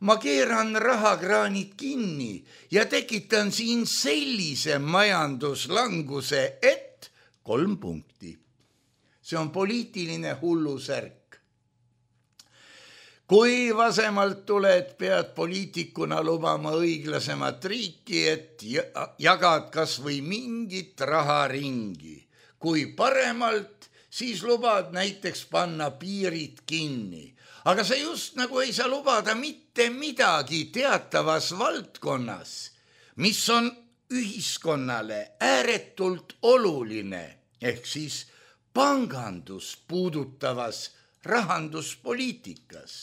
ma keeran rahakraanid kinni ja tekitan siin sellise majanduslanguse, et 3 punkti. See on poliitiline hullusärk. Kui vasemalt tuled, pead poliitikuna lubama õiglasemat riiki, et jagad kas või mingit raha ringi. Kui paremalt, siis lubad näiteks panna piirid kinni. Aga sa just nagu ei saa lubada mitte midagi teatavas valdkonnas, mis on ühiskonnale ääretult oluline, ehk siis pangandust puudutavas rahanduspoliitikas.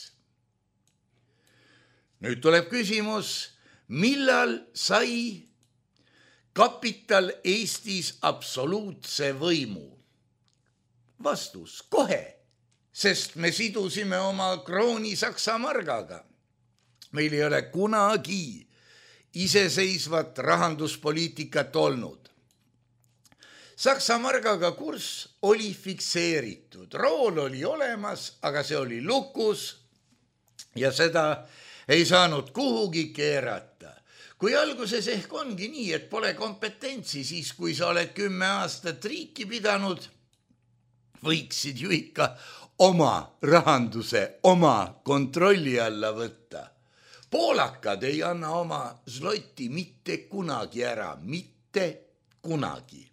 Nüüd tuleb küsimus, millal sai kapital Eestis absoluutse võimu? Vastus, kohe, sest me sidusime oma krooni Saksa margaga. Meil ei ole kunagi iseseisvat rahanduspoliitikat olnud. Saksa margaga kurss oli fikseeritud, rool oli olemas, aga see oli lukus ja seda ei saanud kuhugi keerata. Kui alguses ehk ongi nii, et pole kompetentsi, siis kui sa oled 10 aastat riiki pidanud, võiksid ju ikka oma rahanduse oma kontrolli alla võtta. Poolakad ei anna oma zlotti mitte kunagi ära, mitte kunagi.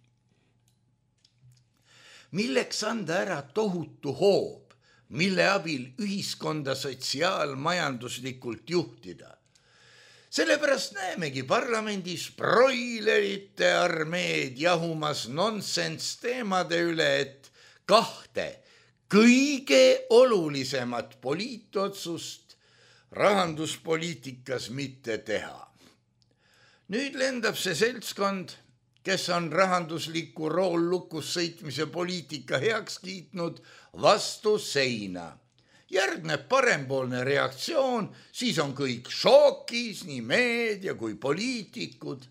Milleks anda ära tohutu hoob, mille abil ühiskonda sotsiaalmajanduslikult juhtida? Sellepärast näemegi parlamendis broilerite armeed jahumas nonsense teemade üle, et 2 kõige olulisemat poliitotsust rahanduspoliitikas mitte teha. Nüüd lendab see seltskond, kes on rahandusliku roollukus sõitmise poliitika heaks kiitnud, vastu seina. Järgneb parempoolne reaktsioon, siis on kõik šokis, nii meedia kui poliitikud.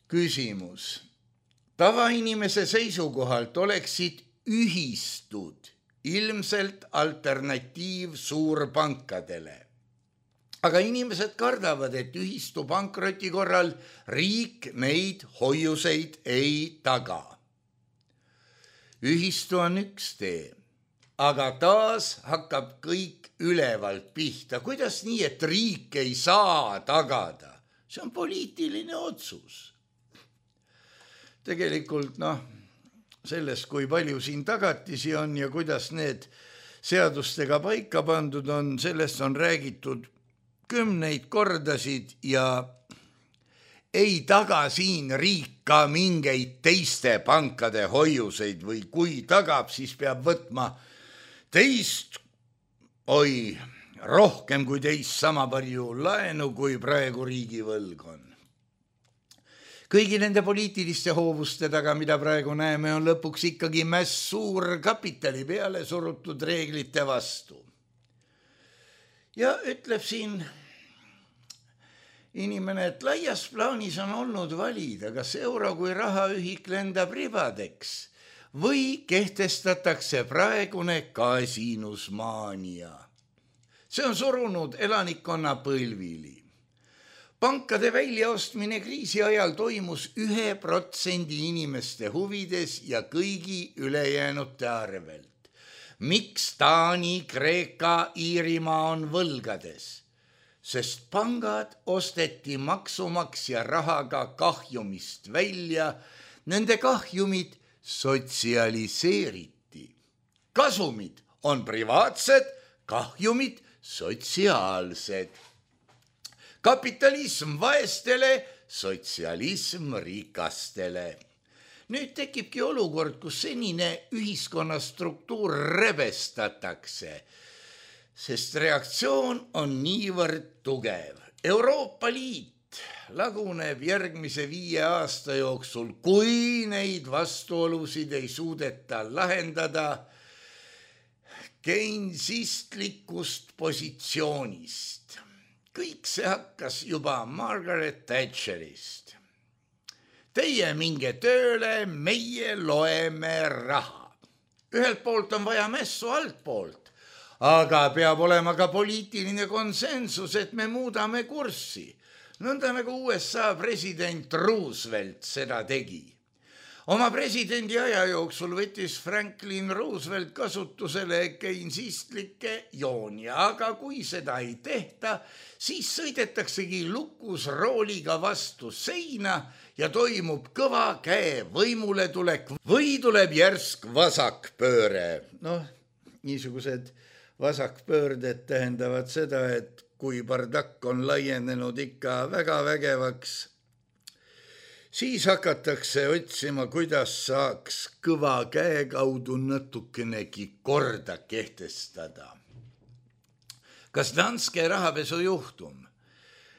Küsimus. Tavainimese seisukohalt oleksid ühistud ilmselt alternatiiv suurpankadele. Aga inimesed kardavad, et ühistu pankroti korral riik neid hoiuseid ei taga. Ühistu on üks tee, aga taas hakkab kõik ülevalt pihta. Kuidas nii, et riik ei saa tagada? See on poliitiline otsus. Tegelikult sellest, kui palju siin tagatisi on ja kuidas need seadustega paika pandud on, sellest on räägitud 10 kordasid ja ei taga siin riik ka mingeid teiste pankade hoiuseid või kui tagab, siis peab võtma teist, rohkem kui teist sama palju laenu, kui praegu riigivõlg on. Kõigi nende poliitiliste hoovuste taga, mida praegu näeme, on lõpuks ikkagi mäss suur kapitali peale surutud reeglite vastu. Ja ütleb siin inimene, et laias plaanis on olnud valida, kas euro kui rahaühik lendab ribadeks või kehtestatakse praegune kasiinusmaania. See on surunud elanikkonna põlvili. Pankade väljaostmine kriisi ajal toimus 1% inimeste huvides ja kõigi ülejäänute arvelt. Miks Taani, Kreeka, Iirimaa on võlgades? Sest pangad osteti maksumaksja rahaga kahjumist välja, nende kahjumid sotsialiseeriti. Kasumid on privaatsed, kahjumid sotsiaalsed. Kapitalism vaestele, sotsialism rikastele. Nüüd tekibki olukord, kus senine ühiskonna struktuur rebestatakse, sest reaktsioon on niivõrd tugev. Euroopa Liit laguneb järgmise 5 aasta jooksul, kui neid vastuolusid ei suudeta lahendada keinsistlikust positsioonist. Kõik see hakkas juba Margaret Thatcherist. Teie minge tööle, meie loeme raha. Ühelt poolt on vaja mässu altpoolt, aga peab olema ka poliitiline konsensus, et me muudame kurssi. Nõnda nagu USA president Roosevelt seda tegi. Oma presidendi aja jooksul võttis Franklin Roosevelt kasutusele keinsistlikke jooni, aga kui seda ei tehta, siis sõidetaksegi lukus rooliga vastu seina ja toimub kõva käe võimule tulek või tuleb järsk vasakpööre. Niisugused vasakpöörded tähendavad seda, et kui bardakk on laienenud ikka väga vägevaks, siis hakatakse otsima, kuidas saaks kõva käe kaudu natukenegi korda kehtestada. Kas Danske rahapesujuhtum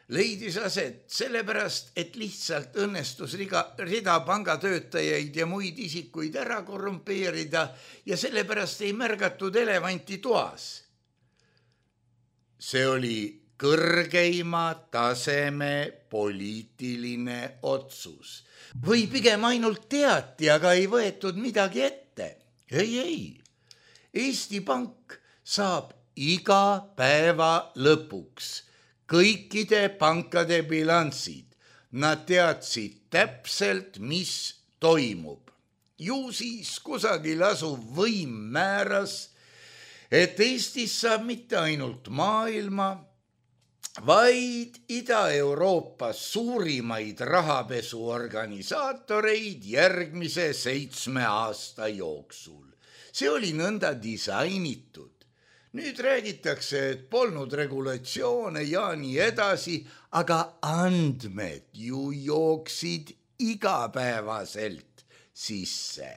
leidis aset sellepärast, et lihtsalt õnnestus rida pangatöötajaid ja muid isikuid ära korrumpeerida ja sellepärast ei märgatud elevanti toas? See oli kõrgeima taseme poliitiline otsus. Või pigem ainult teati, aga ei võetud midagi ette. Ei. Eesti Pank saab iga päeva lõpuks kõikide pankade bilanssid. Nad teadsid täpselt, mis toimub. Ju siis kusagil asuv võim määras, et Eestis saab mitte ainult maailma, vaid Ida-Euroopas suurimaid rahapesuorganisaatoreid järgmise 7 aasta jooksul. See oli nõnda disainitud. Nüüd räägitakse, et polnud regulatsioone ja nii edasi, aga andmed ju jooksid igapäevaselt sisse.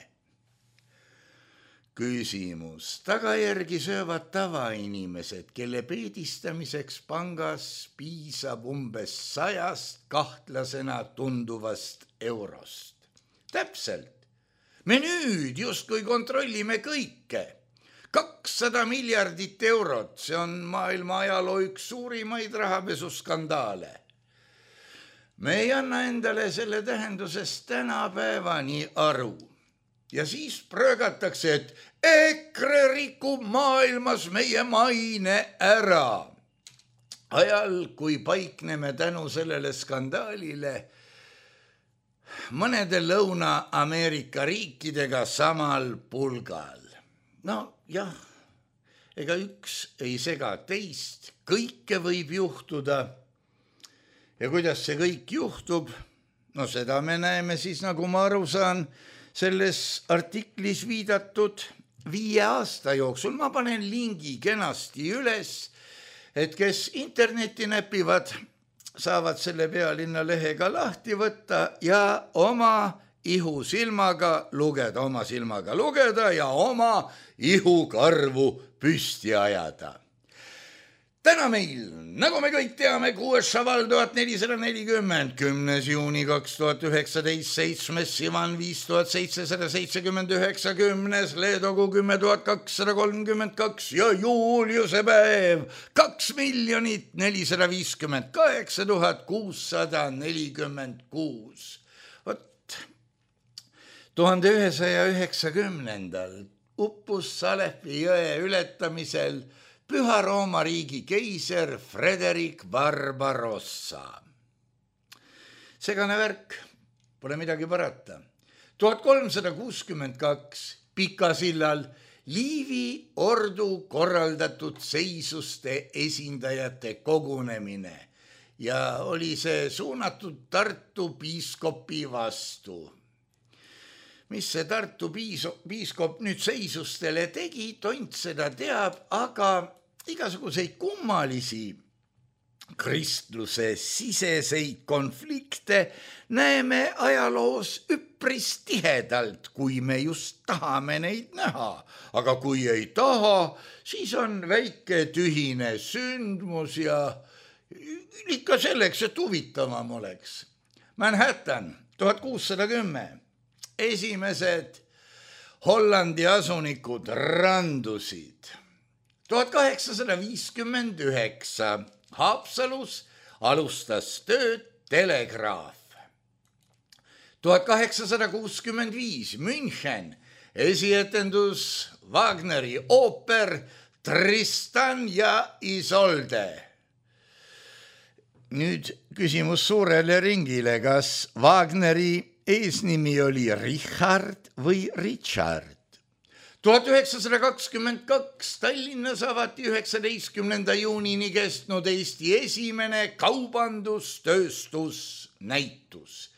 Küsimus. Tagajärgi söövad tavainimesed, kelle peedistamiseks pangas piisab umbes 100 kahtlasena tunduvast eurost. Täpselt. Me nüüd justkui kontrollime kõike. 200 miljardit eurot, see on maailma ajaloo üks suurimaid rahapesuskandaale. me ei anna endale selle tähendusest tänapäevani aru. Ja siis pröögatakse, et EKRE rikub maailmas meie maine ära. Ajal, kui paikneme tänu sellele skandaalile mõnede Lõuna-Ameerika riikidega samal pulgal. No jah, ega üks ei sega teist, kõike võib juhtuda. Ja kuidas see kõik juhtub? No seda me näeme siis, nagu ma aru saan, selles artiklis viidatud 5 aasta jooksul. Ma panen lingi kenasti üles, et kes internetti näpivad, saavad selle Pealinna lehega lahti võtta ja oma ihusilmaga lugeda ja oma ihukarvu püsti ajada. Täna meil, nagu me kõik teame, 6. Šaval 1440, 10. juuni 2019, 7. Sivan 5779, 10. Leedogu 10.232 ja Juuliuse päev 2 458 646. Vot 1190. uppus Salepi jõe ületamisel Püha Rooma riigi keiser Frederik Barbarossa. Segane värk, pole midagi parata. 1362 Pikasillal Liivi ordu korraldatud seisuste esindajate kogunemine ja oli see suunatud Tartu piiskopi vastu. Mis see Tartu piiskop nüüd seisustele tegi, tont seda teab, aga igasuguseid kummalisi kristluse siseseid konflikte näeme ajaloos üpris tihedalt, kui me just tahame neid näha. Aga kui ei taha, siis on väike tühine sündmus ja ikka selleks, et huvitavam oleks. Manhattan 1610. Esimesed Hollandi asunikud randusid. 1859 Haapsalus alustas tööd telegraaf. 1865 München esietendus Wagneri ooper Tristan ja Isolde. Nüüd küsimus suurele ringile, kas Wagneri eesnimi oli Richard või Richard. 1922 Tallinnas avati 19. juunini kestnud Eesti esimene kaubandustööstusnäitus.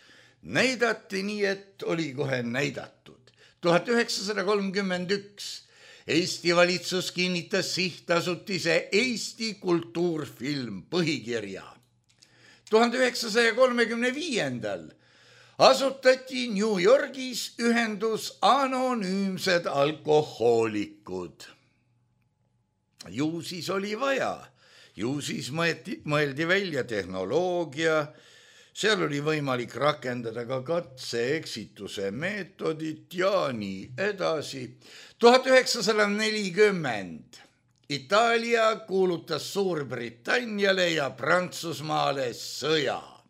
Näidati nii, et oli kohe näidatud. 1931 Eesti valitsus kinnitas sihtasutise Eesti kultuurfilm põhikirja. 1935 asutati New Yorgis ühendus Anonüümsed alkohoolikud. Ju siis oli vaja, ju siis mõeldi välja tehnoloogia, seal oli võimalik rakendada ka katse-eksituse meetodit ja nii edasi. 1940 Itaalia kuulutas Suurbritanniale ja Prantsusmaale sõja.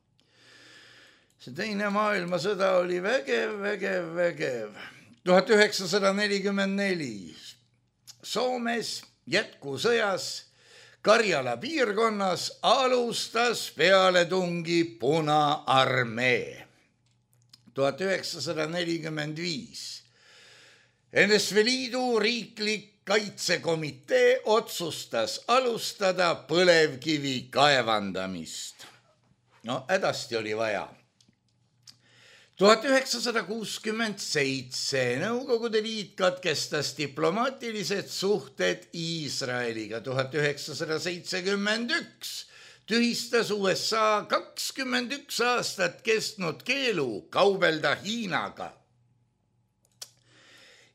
See teine maailmasõda oli vägev. 1944 Soomes jätkusõjas Karjala piirkonnas alustas pealetungi Punaarmee. 1945 NSV Liidu riiklik kaitsekomitee otsustas alustada põlevkivi kaevandamist. No hädasti oli vaja. 1967 Nõukogude Liit katkestas diplomaatilised suhted Iisraeliga. 1971 tühistas USA 21 aastat kestnud keelu kaubelda Hiinaga.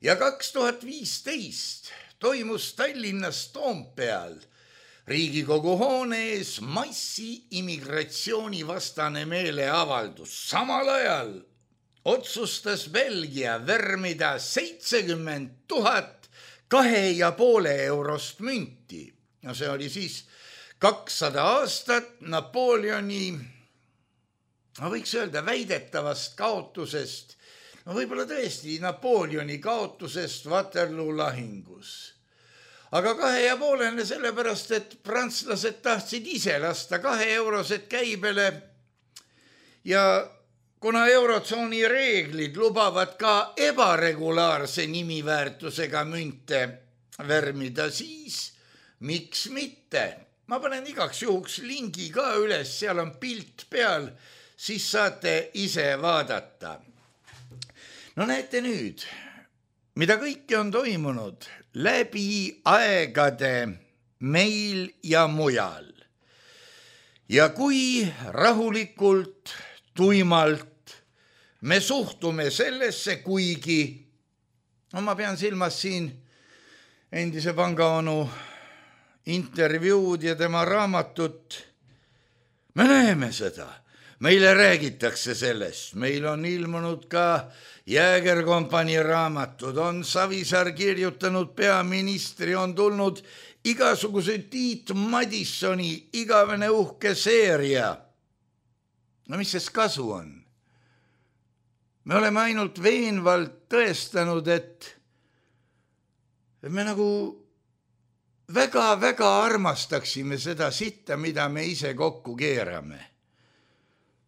Ja 2015 toimus Tallinnas Toompeal Riigikogu hoone ees massiimmigratsioonivastane meeleavaldus. Samal ajal otsustas Belgia värmida 70 000 2,5 eurost münti. No see oli siis 200 aastat Napoleoni ma võiks öelda väidetavast kaotusest, no võib-olla tõesti Napoleoni kaotusest Waterloo lahingus. Aga 2,5 sellepärast, et prantslased tahtsid ise lasta 2-eurosed käibele ja kuna eurotsooni reeglid lubavad ka ebaregulaarse nimiväärtusega münte värmida, siis miks mitte? Ma panen igaks juhuks lingi ka üles, seal on pilt peal, siis saate ise vaadata. No näete nüüd, mida kõike on toimunud läbi aegade meil ja mujal. Ja kui rahulikult, tuimalt me suhtume sellesse, kuigi, no ma pean silmas siin endise pangaonu intervjuud ja tema raamatut, me näeme seda, meile räägitakse sellest, meil on ilmunud ka Jäägerkompanii raamatud, on Savisaar kirjutanud peaministri, on tulnud igasuguse Tiit Madissoni igavene uhke seeria. No mis sest kasu on? Me oleme ainult veenvalt tõestanud, et me nagu väga-väga armastaksime seda sitta, mida me ise kokku keerame.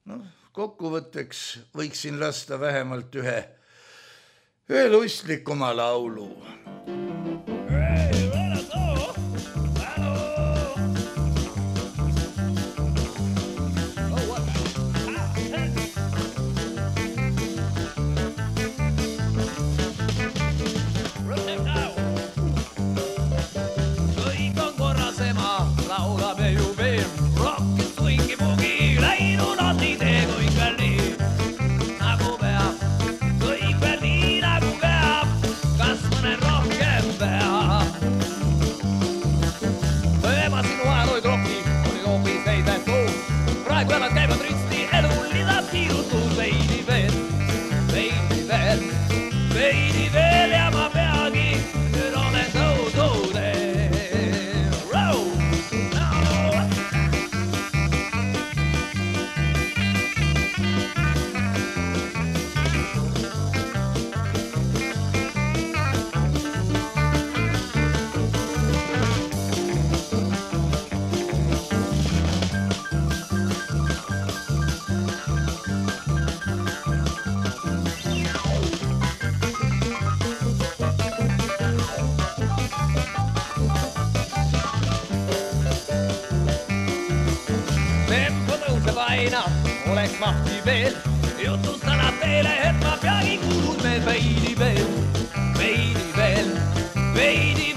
No, kokkuvõtteks võiksin lasta vähemalt ühe lustlikuma laulu. Oleks mahti veel, jutustan teile, et ma peagi kuulud me veidi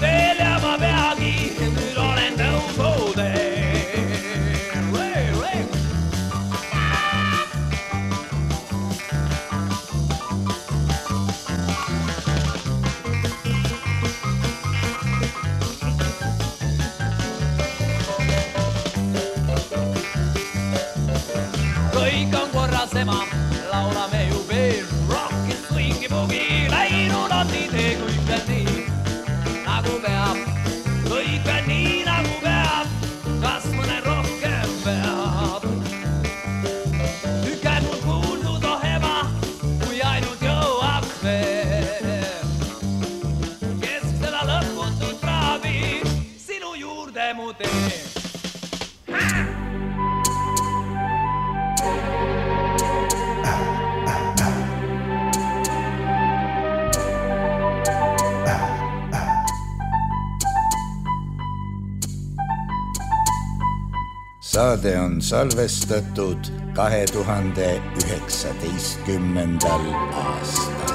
veel ja ma peagi nüüd olen tõusudel. Kõik on korras ema, laulame ju veel, rocki, swingi, bugi, läinud on nii tee, kõik veel nii, nagu peab. Kõik veel nii, nagu peab, kas mõne rohkem peab. Käib mul kuuldud ohema, kui ainult jõuaks veel. Kes seda lõputut praagi sinu juurde mu tee. Saade on salvestatud 2019. aastal.